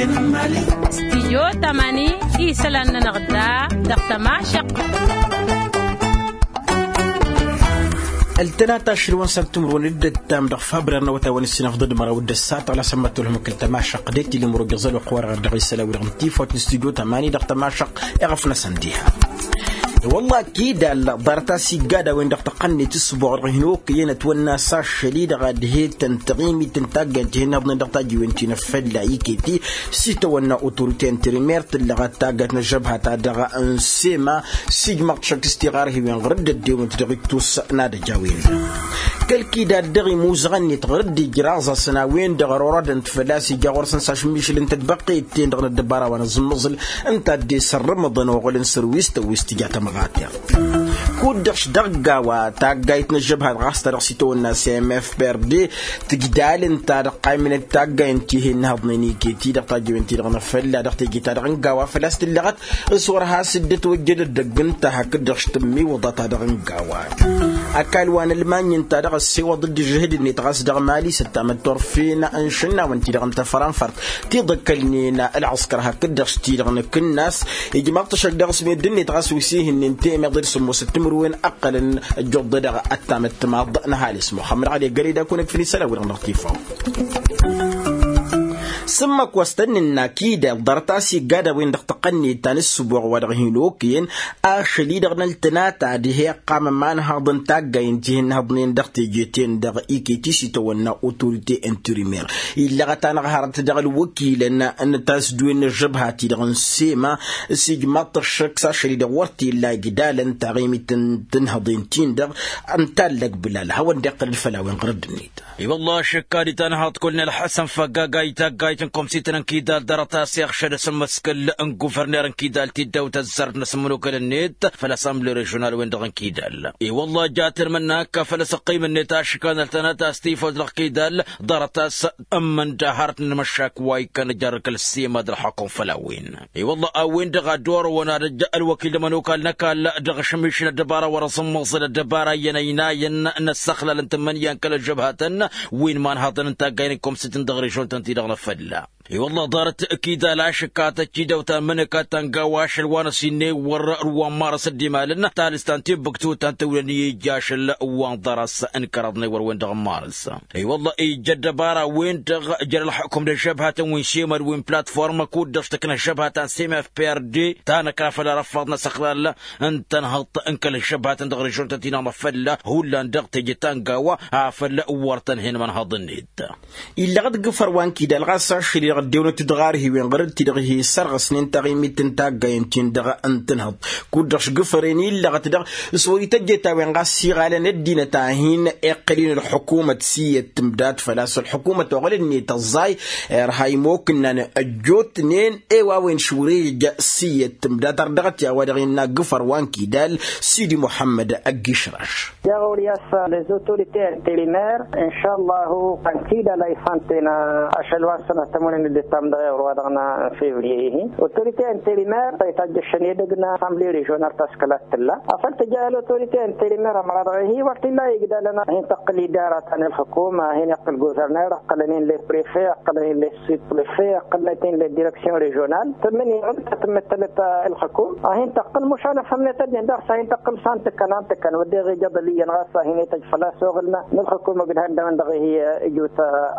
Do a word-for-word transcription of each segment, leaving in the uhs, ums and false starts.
Stijyo tamani isălan-nănăɣ da dăɣ-tămašăqq. Ăltănat ašăl wa n-săn timǝrwen d-ǝttam dăɣ-fabrer n-awătay wa n-ǝssin afḍăd măraw d-ăssat ɣlas ămmăttălhăm kăl-tămašăqq d-e-t-ila imǝrwăg iẓăl wa qwăr dăɣ-isălan wi-dăɣ n-tifawt n-stijyo tamani dăɣ-tămašăqq. Iɣăf-năsăn diha i-wălla akidal ḍarăt-as iggad a-wen-dăɣ tăqqănnet s-ǝsbuɣ-dăɣ hin-okăyăn ătwănna s-ašăl-i-dăɣ ad-he-tăn taɣimit n-taggayt hen-iḍnen dăɣ-tajiwen ti n-afălla iketi s-itawănna otorite interimer tǝllăɣăt taggayt n-ăžžăbha-ta-dăɣ n-sema. S-ijmăɣ-t šăkk s-tiɣarhiwen ɣur-dd ăddewăn-t dăɣ-ittus n-ad-ăj a-wen-dăɣ kăl-kidad dăɣ-imuzăɣăn-net ɣur-dd ijraẓ-asăn a-wen-dăɣ ărorădăn-t făl-a-s ija ɣur-săn s-ašǝmmišǝl n-tadbăqqet-ten-dăɣ n-ăddăbara wa n-aẓǝmmăẓǝl ǝnta a dd-esărrǝmǝḍăn oɣǝl n-sărwis tăwwist tǝja tamɣateɣt. Kud-dăɣ-š dăɣ-gawa taggayt n-ăžžăbhat ɣas ta dăɣ-s itawănna s-mfprd tǝjdal ǝnta dăɣ-qaymǝnăt taggay n-tihen n-ihăḍnen iket-i dăɣ-tajiwen-ti-dăɣ n-afălla dăɣ-teje-ta-dăɣ n-gawa făl-a-s tǝllăɣăt s-wăr has-dd-ătwăjjăd ăddăgg ǝnta hakd-dăɣ-š tǝmmiwǝḍa-ta-dăɣ n-gawa. Ăkall wa n-ălmany ǝnta-dăɣ ăssewăḍ-dd ǝžžǝhǝd-net ɣas dăɣ-mali s-ăttamăt turfen n-išǝnnawăn-ti-dăɣ n-tafransărt tiḍăkkălnen ălɣǝskăr hakd-dăɣ s-ti-dăɣ n-akǝnnas. Ijmaḍ-t ašăk dăɣ-s meddǝn-net ɣas wi s-ihǝnnin temeḍe d-sǝmmosăt timǝrwen ǝqqălăn ăjjuḍ-dăɣ ăttamăt timaḍ n-ăhalǝs muxămmăd ɣăli găre d-akun ǝkfǝn isălan-wi-dăɣ n-dăɣ-tifaw. Sǝmmăk wa s-tăn-nǝnna kidal ḍarăt a-s iggad a-wen-dăɣ tăqqănnet ta n-ǝssǝboɣ wa dăɣ-hin-okăyăn ašăl-i-dăɣ n-ăltănata ad-he-iqqam ămanhaḍ n-taggay n-tihin n-ihăḍnen dăɣ-tejeten-dăɣ iket-i s-itawănna otorite interimer illăɣăt-anăɣ hărăt dăɣ-ălwăkilăn n-tasdǝwen n-ăžžăbha-ti-dăɣ n-sema. S-ijmaḍ-t ăššăk s-ašăl-i-dăɣ wăr t-illa ijlalăn taɣimit n-tinhăḍen-tin-dăɣ n-tallăg bǝlal hawăn-dd-iqqăl d-făll-a-wen ɣur-dd-net. I-wălla ašǝkka d-itanhaḍt kull n-ălḥăsăn făggaga i-taggayt n-komsităn n-kidal ḍarăt-as iɣšăd asǝmmǝskǝl n-guvărner n-kidal ti dd-awt ăzzarăt n-asǝmmǝnukăl-net făll-assemble režional-wen-dăɣ n-kidal. I-wălla jatăn mănna ăkk făll-asǝqqim-net ašǝkka n-ăltănăt a-s tifăw dăɣ-kidal ḍarăt-as ǝmmǝn d-ahărăt n-inmăššak wa ikkăn ăjarrǝk ălsima d-ălxukum făll-a-wen. I-wălla a-wen-dăɣ a dd-orăwăn ad-ăj ălwăkil d-ămănokal n-ăkall dăɣ-ašămišǝl ăddăbara wăr-ăẓǝmmăẓǝl ăddăbara iyyăn ăynayăn n-ăssăxlal n-tǝmmǝnǝya n-kăl-ăžžăbhatăn wi n-imanhaḍăn n-taggay n-ikomsǝt n-dăɣ-režon-tăn-ti-dăɣ n-afălla. I-wălla ḍarăt kidal ašǝkka tăcci dăw-ta n-imǝnǝka ta n-gawa ašăl wa n-ăsinne wăr-ăru wa n-marăs dd-imalăn talǝsta n-tibbǝktut ta n-tǝwlăn i-ija ašăl wa n-ḍarăs n-kăraḍ n-ewăr wen-dăɣ n-marăs. I-wălla ija ăddăbara-wen-dăɣ jer-ălxukum d-ăžžăbhatăn wi n-semăd wi n-platform kud-dăɣ s-tăkna ăžžăbhatăn s-mfprd ta năkra făll-arăffaḍ n-asăxlal n-tănhăḍt n-kăl-ăžžăbhatăn dăɣ-režon-tăn-ti-dăɣ n-afălla hullan dăɣ-teje ta n-gawa afăl wăr tăn-hen imănhăḍ-net. Illăɣăt gǝfăr wa n-kidal ɣas ašăl-i-dăɣ ăddewăn-t d-ɣarhiwen ɣur-dd-ti-dăɣ hi-sărɣǝsnen taɣimit n-taggayen-tin-dăɣ n-tǝnhăḍt kud-dăɣ s-gǝfăren illăɣăt-dăɣ s-wăr-ităjjăt a-wen ɣas s-iɣalăn ăddinăt a hin-iqqăl-in ălḥukumăt s-iyyăt tǝmdat făl-a-s ălḥukumăt oɣǝl-net ăẓẓay irha imokǝnnan ăjjootnen i-wa wen-š wăr-ija s-iyyăt tǝmdat ar dăɣ-t i-a-wa dăɣ-innă gǝfăr wa n-kidal sidi muḥămmăd ăgg-išraš. Jaɣ ɣur-i a-s les autorités intérimaires inšallahu. Ănkidal a ifanten ašăl wa n-sănatămănen dd-ittam dăɣ-iɣrǝwa dăɣ-nănna n-février-ihi autorité intérimaire ta itajjăšăn edăgg n-assemblée régionale ta s-kăla t-tǝlla afăl tǝja ălautorité intérimaire ămăra dăɣ-ihi wăr t-illa igdalăn a hin-tăqqǝl idara ta n-ǝlxǝkum a hin-iqqǝl gouverneur ǝqqălăn-in les préfets ǝqqălăn-in les sous-préfets ǝqqălnăt-in les directions régionales tǝmmǝn iɣǝm ta tǝmmǝttălăt ǝlxǝkum a hin-tăqqǝl mušan ăfhămnet ăddin daɣ s-a hin-tăqqǝl s-a n-tǝkkăn a n-tǝkkăn wădden ija ḍăliyăn ɣas a hin-ităj făl-a-s oɣǝl n-ǝlxǝkum ǝgdăhăn dăɣ-wăn-dăɣ ihi ǝjut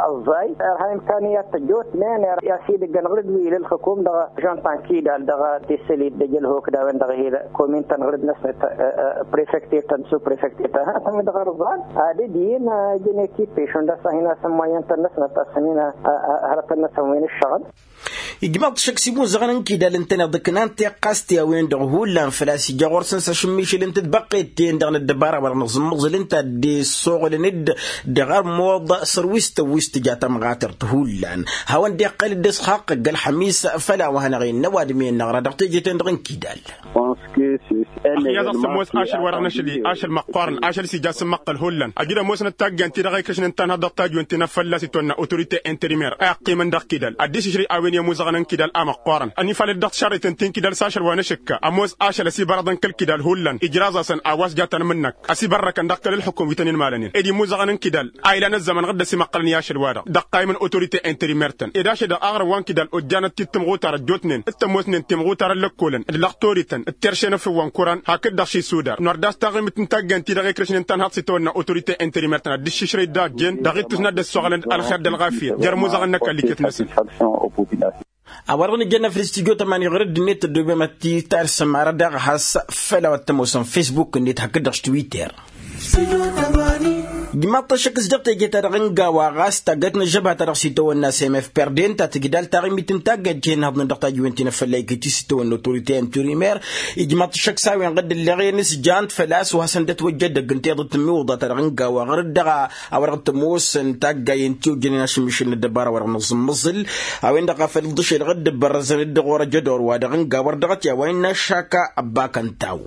ăẓẓay irha imkaniyat tăjjootnen i-a-s idăggăn ɣǝr-dd wi l-ǝlxǝkum dăɣ-žon ta n-kidal dăɣ-tisǝlit d-ejălhok d-a-wen-dăɣ ihi komintăn ɣǝr-dd-năsnăt préfecte-tăn sous-préfecte-tăn hătăn-wi-dăɣ ărẓan ad-dd-yin ǝjăn ekipe šund a-s a hin-asǝmmăyyăn-tăn-năsnăt a-s ănin hărătăn-năsăn wi n-ǝššăɣǝl. Ijmăḍ-t šăkk s-imuzăɣăn n-kidal ǝntăneḍ ǝknan tiqqas ti a-wen-dăɣ hullan făl-a-s ija ɣur-săn s-ašǝmmišǝl n-tǝtbăqqet-ten-dăɣ n-ăddăbara wa dăɣ-nǝẓǝmmăẓǝl ǝnta a dd-issoɣǝlăn-dd dăɣ-armuḍ săr-wi s-tăwwist tǝja tamɣatărt hullan hawăn-dd-iqqăl dd-ăsxaqq ăgg-ălxămis. Făll-a-wa hanăɣ-innă ăwadǝm-i ănnăɣra dăɣ-teje-ten-dăɣ n-kidal. Ăxyaẓ a-s ămoos ašăl-wa-dăɣ n-ašăl-i ašăl măqqoorăn ašăl-s ija a-s ǝmmăqqăl hullan ăjǝd ămoosnăt taggayăn-ti-dăɣ a ikrǝšnen tanhăḍ dăɣ-tajwen ti n-afălla s-itwănna autorite interimer a iqqimăn dăɣ-kidal ad-dd-išǝšrǝy a-wen i-ămuẓăɣăn n-kidal a măqqoorăn ănifalăt dăɣ-tišarriten ti n-kidal s-ašăl wa n-ašǝkka ămoos ašăl ăsibărăḍăn kăl-kidal hullan ijraẓ-asăn a-wa s-jatăn mǝnnăk ăsibărrăkăn dăɣ-kăl-ǝlxǝkum wi tăn-inmalănen ed imuẓăɣăn n-kidal a ilan ăzzăman ɣǝdd-ăsimăqqălăn i-ašăl-wa-dăɣ dăɣ-iqqaymăn autorite interimer-tăn ed ašăl-dăɣ aɣrǝm wa n-kidal ojjanăt-t-dd timɣutar ăjjootnen d-tămoosnen timɣutar ăllăkkolăn d-lăɣtorităn d-terše n-efăw wa n-kuran hakd-dăɣ šisudar nor d-a-s taɣimǝt n-taggayăn-ti-dăɣ ikrǝšnen tanhaḍt s-itawănna autorite interimer-tăn ad-dd-iššǝšrăy d-ajjen dăɣ-ittus n-ad-dd-ăssoɣălăn ălxer d-ălɣafyăt jer-imuẓăɣăn n-ăkall iket-năsăn. A-wa-dăɣ nǝjănna făll-studyo tămani ɣur-dd-net ăddoobem ad-t-tarsăm arăt daɣ a has-făll-a-wa t-ămoosăn facebook-net hakd-dăɣ s-twitter. Ijmaḍ-t ăššăk s-dăɣ teje-ta-dăɣ n-gawa ɣas taggayt n-ăžžăbha-ta-dăɣ s-itawănna s-m f perdent ta tǝjdal taɣimit n-taggayt jihăn haḍnen dăɣ-tajiwen ti n-afălla iket-i s-itawănna autorite n-turimer. Ijmaḍ-t ăššăk s-a-wen ɣǝdd ǝlleɣ-en s-jant făl-a-s wa hasăn-dd-ătwăjja edăgg n-tiḍǝt n-imiwǝḍa-ta-dăɣ n-gawa ɣur-dd dăɣ-a-wa-dăɣ t-ămoosăn taggayăn ti ojjănen ašǝmmišǝl n-ăddăbara-wa-dăɣ n-aẓǝmmăẓǝl. A-wen-dăɣ a făl dd-ăšel ɣǝdd ǝbbărrăzăn-dd ɣur-ejădor-wa-dăɣ n-gawa ărdăɣăt i-a-wa innă aššak ăbbakăn taw.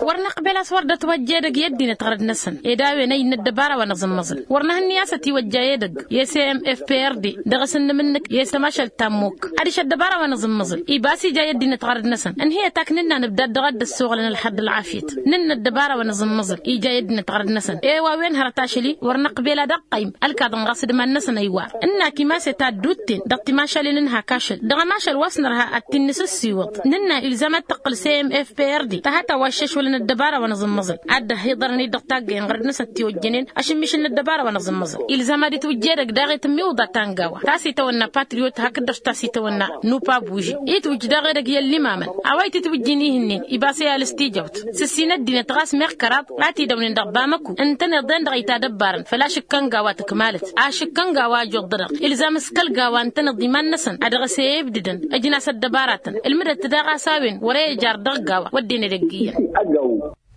Wăr năqbel a-s wăr dd-ătwăjja edăgg i-ăddinăt ɣărăt-năsăn ed a-wen ăynă ăddăbara wa n-aẓǝmmăẓǝl wăr năhǝnni a-s ătiwăjja edăgg i-s m f p r d dăɣ-s ǝnnǝmǝnnǝk i-s tămašalt ta n-mukk adiš ăddăbara wa n-aẓǝmmăẓǝl ibas ija i-ăddinăt ɣărăt-năsăn ǝnhǝyăt ak nǝnna nǝbdad dăɣ-ad-dd-ăssoɣlăn ălxer d-ălɣafyăt nǝnna ăddăbara wa n-aẓǝmmăẓǝl ija i-ăddinăt ɣărăt-năsăn i-wa wen hărăt ašăl-i wăr năqbel ad-ăqqăym ălkaḍăn ɣas d-iman-năsăn ăywar ǝnnak imas-e ta dd-utten dăɣ-timašalen n-hak ašăl dăɣ-ămašal wa s-nărha ad-t-in-nǝsǝssiwǝḍ nǝnna ilzam ad-tǝqqǝl s-e m f p r d tăhăt a-wa ǝššăšwălăn ăddăbara wa n-aẓǝmmăẓǝl ad-dd-ăhhiḍărăn-dd dăɣ-taggăyăn ɣărăt-năsăn tiwăjjănen ašǝmmišǝl n-ăddăbara wa n-aẓǝmmăẓǝl ilzam ad-itwǝjj edăgg daɣ i-tǝmmiwǝḍa ta n-gawa ta s-itawănna patriyot hakd-dăɣ ta s-itawănna nupa buži itwǝjj daɣ edăgg i-ăllimamăn a-wa itǝtwǝjjin ihǝnnin ibas i-alǝs tijawt s-ǝssin ăddinăt ɣas meɣ kăraḍ a t-idăwnen dăɣ-bamăku ǝntăneḍ-en-dăɣ itadăbbarăn făl-ašǝkka n-gawa tǝkmalăt ašǝkka n-gawa ăjoḍ-dăɣ ilzam s-kăl-gawa ǝntăneḍ iman-năsăn a dăɣ-s e-ibdǝdăn ǝjnas ăddăbaratăn ǝlmǝdăt daɣ a-s a-wen wăr-e ijăr dăɣ-gawa wădden edăgg iyyăn.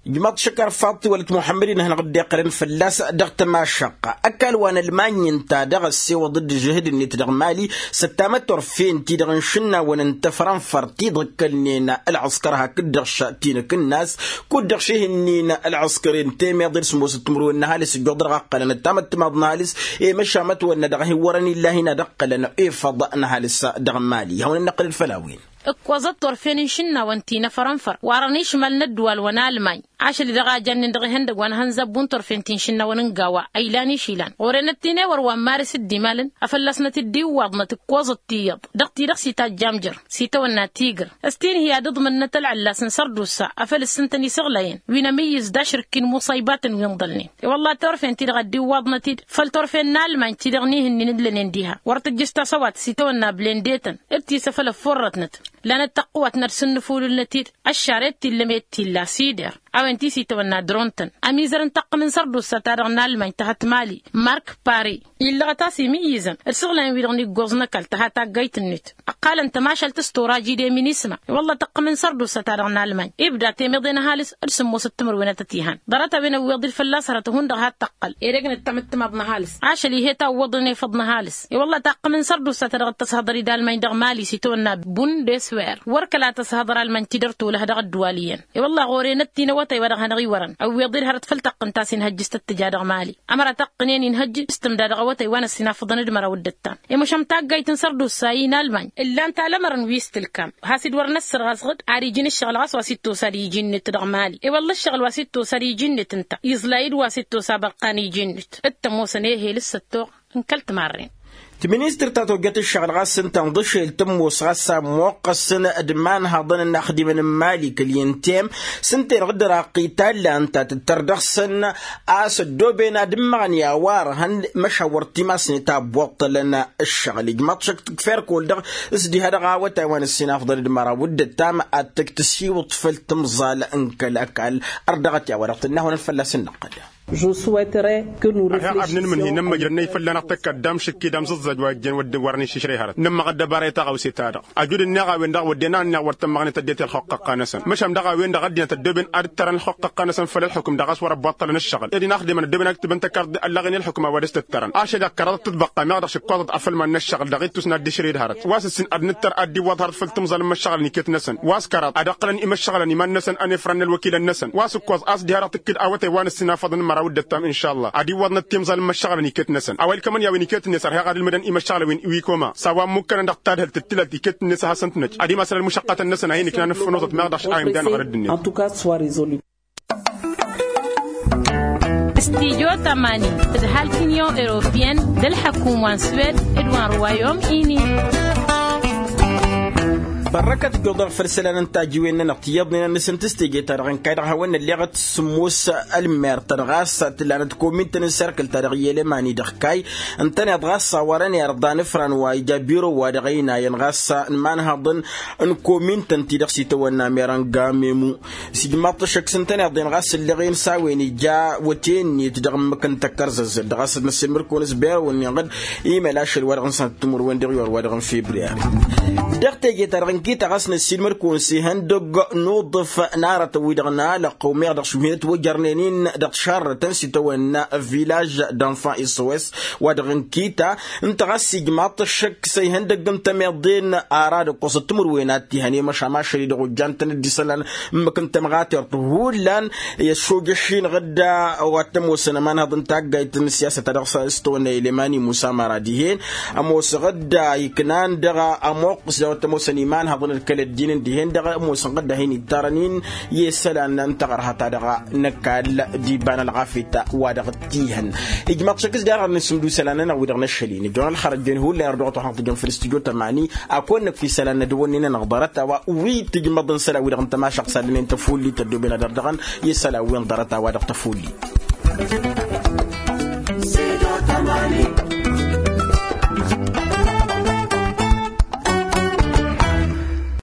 Ijmaḍ-t šăkar faḍt iwălăt muḥămmăd-i n-ad-hanăɣ-dd-iqqălăn fălla-s dăɣ-tămašăqqa ăkall wa n-ălmany ǝnta dăɣ-ăssewăḍ-dd ǝžžǝhǝd-net dăɣ-mali s-ăttamăt turfen-ti-dăɣ n-išǝnnawăn n-tafrănfăr ti dd-ǝkkălnen ălɣǝskăr hakd-dăɣ šat-i n-akǝnnas kud-dăɣ šihǝnnin ălɣǝskăr i-n temeḍe d-sǝmmosăt timǝrwen n-ăhalǝs ǝjjuḍ dăɣ-a ǝqqălăn ăttamăt timaḍ n-ăhalǝs i-măšamăt-wănna dăɣ-hin-wărăn illahin ad-ǝqqălăn efăḍ n-ăhalǝs dăɣ-mali ihawăn-dd-năqqǝlăd făll-a-wen. Ǝkkoẓăt turfen n-išǝnnawăn ti n-afărănfăr warăn išmal n-ăddǝwal wa n-almany ašăl-i-dăɣ a jannen dăɣ-ihăndăgg wa n-hăn zabbun turfen ti n-išǝnnawăn n-gawa a ilan išilan ɣur-enăt ti n-ewăr wa n-maris dd-imalăn a fălla-snăt dd-iwwaḍnăt ǝkkoẓăt tiyyăḍ dăɣ-ti-dăɣ s-itajjam jer s-itawănna tigr s-tinhǝy ad-ǝḍmǝnnăt ălɣǝllas n-sărdusa afăl ǝssǝntăn isăɣlayăn wi n-amǝyyǝz d-ašrǝkki n-imuṣaybatăn wi ǝnḍălnen i-wălla turfen-ti-dăɣ a dd-iwwaḍnăt-dd făll-turfen n-almany ti-dăɣ n-ihǝnnin ǝllănen diha wăr tǝjjǝs tasăwat s-itawănna blendetăn d-tisăf ălăffurrătnăt lanăt tăqqǝwat n-ad-sǝnnǝfulǝlnăt-dd ăššaret t-illa med t-illa sider a-wen ti s-itawănna dron-tăn ămizăr n-taqqǝm n-sărdusa-ta-dăɣ n-almany tăhăt mali mark pari illăɣăt a-s imǝyyǝzăn d-isăɣlayăn-wi-dăɣ n-iggoẓ n-ăkall tăha taggayt-net ǝqqalăn tămašalt s-turaj-i d-eminisma i-wălla taqqǝm n-sărdusa-ta-dăɣ n-almany ibda temeḍe n-ăhalǝs d-sǝmmosăt timǝrwen ad-tăt-ihan ḍarăt-a-wen ăwweḍ-dd fălla-s hărăt hundăɣ ha t-tăqqăl edăgg n-ăttămăttămaḍ n-ăhalǝs ašăl-i he-tawwăḍăn efăḍ n-ăhalǝs i-wălla taqqǝm n-sărdusa-ta-dăɣ d-tăshăḍăr-dd almany dăɣ-mali s-itawănna bun d-eswer wăr kăla tăshăḍăr almany tidăr tolăh dăɣ-ăddǝwal iyyăn i-wălla ɣur-enăt ti n-awătay wa dăɣ-hanăɣ-iwărăn ăwweḍ-dd hărăt făll-taqqǝnt a-s inhăjj s-tăt-tǝja dăɣ-mali ămăra taqqǝnen inhăjj s-tǝmda dăɣ-awătay wa n-ăssinafăḍăn d-măraw d-ăttan i-măšan taggayt n-sărdusa i-inalmany ǝllan-t alămărăn wi s-tǝlkam has-dd wăr năssărɣăẓ ɣǝd ad-iji n-ǝššăɣǝl ɣas wa s-ittosa ad-iji-net dăɣ-mali i-wălla ǝššăɣǝl wa s-ittosa ad-iji-net ǝnta iẓlay-dd wa s-ittosa bărqan iji-net d-tămoosăn ehel s-ăttoɣ n-kăl-timarren. Tiministăr ta tojjăt ǝššăɣǝl ɣas ǝnta n-iḍǝšel tămoos ɣas a ămmoqqăsăn d-imanhăḍăn n-inaxdimăn n-mali kăl-intem s-ǝnta-en ɣǝddăr aqqitalla ǝnta tǝttăr dăɣ-săn a-s ăddooben ad-ǝmmăɣăn i-a-wa ărhăn măšan wăr t-imasnet a ăbboṭṭălăn ǝššăɣǝl ijmaḍ-t šăkk tǝkfer kăwăl-dăɣ s-diha dăɣ-awătay wa n-ăssinafḍăn d-măraw d-ăttam ad-tǝk tǝsiwǝḍ făll-tǝmẓal n-kăl-ăkall. Ărdăɣăt i-a-wa-dăɣ tǝnnă a hawăn-ănn fălla-s ǝnnăqqăl. Ăhiɣ ad-nǝnmǝnhǝy n-ămmăjrăd n-efălla-năɣ tăkk ad-dd-amšǝkki d-amẓǝẓẓaj wa ijjen wădden wărăn išǝšrăy hărăt nǝmmăɣ ăddăbara i-taɣawse-ta-dăɣ. Ăjud-ǝnneɣ a-wen-dăɣ wădden a ănniɣ wăr tămmăɣnet ăddinăt i-ălxuqq ăqqa-năsăn măšan dăɣ-a-wen-dăɣ ăddinăt ăddooben ad-ǝttărăn ălxuqq ăqqa-năsăn făll-ălxukǝm dăɣ-a-s wăr-ăbbaṭṭălăn ǝššăɣǝl ed inaxdemăn ăddooben a ǝktǝbăn tăkarḍe ăllaɣen i-ălxukǝm a-wa dăɣ-s tǝttărăn ašăl i-ad-kăraḍăt tǝḍbăqqa meɣ dăɣ-šǝkkoẓăt afăl iman n-ǝššăɣǝl dăɣ-ittus n-ad-dd-išrǝy d-hărăt wa s-ǝssin ad-nǝttăr ad-dd-iwwăḍ hărăt făll-timẓal n-imăššăɣălăn iket-năsăn wa s-kăraḍ ad-ǝqqǝlăn imăššăɣǝlăn iman-năsăn ănefrăn n-ălwăkilăn-năsăn wa s-ǝkkoẓ a-s dd-hărăt ǝkkǝd awătay wa n-ǝssin afăḍăn n-măraw d-ăttam inšalla ad-iwwăḍnăt timẓal n-imăššăɣǝlăn iket-năsăn a-wa ilkămăn i-a-wen iket-net ărheɣ ad-ǝlmǝdăn imăššăɣǝl a-wen iwikoma s-a-wa ǝmmukkanăn dăɣ-tadhǝlt d-tilălt iket-net a hasăn-tǝnăj ad-imasăl ălmušăqqătăn-năsăn a hin-ǝknan ăffănoẓăt meɣ dăɣ-s a imdan ɣărăd-net. Studyo tămani tǝdhal t-inyon europiyăn d-ălḥăkum wa n-swed d-wa n-ruwayom ini. Bărrăkăt ǝjjoḍăn făll-isălan n-tajiwen-nănăɣ tiyyăḍnen ad-nǝsǝntǝs teje-ta-dăɣ ǝnkay dăɣ-hawăn-nălleɣăt s-sǝmmos ălmer-ta dăɣ-a-s tǝllanăt komintăn n-serkǝl-ta-dăɣ i-elemani dăɣ-kay ǝntăneḍ ɣas a-wa dăɣ-nărḍa n-ifran wa ija biro-wa-dăɣ ăynayăn ɣas n-imanhăḍăn n-komintăn-ti-dăɣ s-itawănna merănga memu s-ijmaḍ-t ăššăk s-ǝntăneḍ-en ɣas ǝllăɣen s-a-wen ija wăte-net dăɣ-ǝmmǝk n-tăkkărzăzzăt dăɣ-a-s ad-năssiilmăd-kăwăn s-berăwăn-nin-ɣǝd imel ašăl wa dăɣ-nǝsnăt timǝrwen dăɣ-iwar wa dăɣ-n febriyari. Dăɣ-teje-ta-dăɣ n-kita ɣas năssiilmăd-kăwăn s-ihăndăgg n-uḍǝf n-aratăn-wi-dăɣ n-alăqqăw meɣ dăɣ-šumhinăt wăjărnen-in dăɣ-tišarrătăn s-itawănna vilaž d-enfant s o s wa dăɣ-n kita ǝnta ɣas ijmaḍ-t ăššăk s-ihăndăgg n-tămeḍe n-ara d-ǝkkoẓăt timǝrwen ad-t-ihăn i-măšan ašăl-i dăɣ-ojjan-tăn dd-isălan ǝmmǝk n-tămɣatert hullan i-ăššojăš-in ɣǝdda wa t-ămoosăn ămanhăḍ n-taggayt n-siyasăt ta dăɣ-s tăwănna ilemani musa măra dihen ămoos ɣǝdda iknan dăɣ-ămoqqǝs daw-t ămoosăn imanhăḍăn d-kăl-ăddin n-dihen dăɣ-ămoosăn ɣǝdda hin-ittarăn-in i-isălan n-taɣărha-ta-dăɣ năkall d-iba n-ălɣafyăt wa dăɣ-t-ihăn. Ijmaḍ šăkk s-derɣ ad-nǝsǝmdǝw isălan-nănăɣ wi-dăɣ n-ašăl-in ijăn ălxărăt jen hullan erdăɣăt wa hanăɣ-tǝjăn făll-studyo tămani. Ad-kăwăn-năkf isălan n-ad-wănnen-anăɣ ḍarăt-a-wa wi tǝjmăḍ n-isălan wi-dăɣ n-tămašăɣt s-ad-ǝnnen tăfullit ăddooben ad-ărdăɣăn i-isălan-wen ḍarăt-a-wa dăɣ-tăfullit.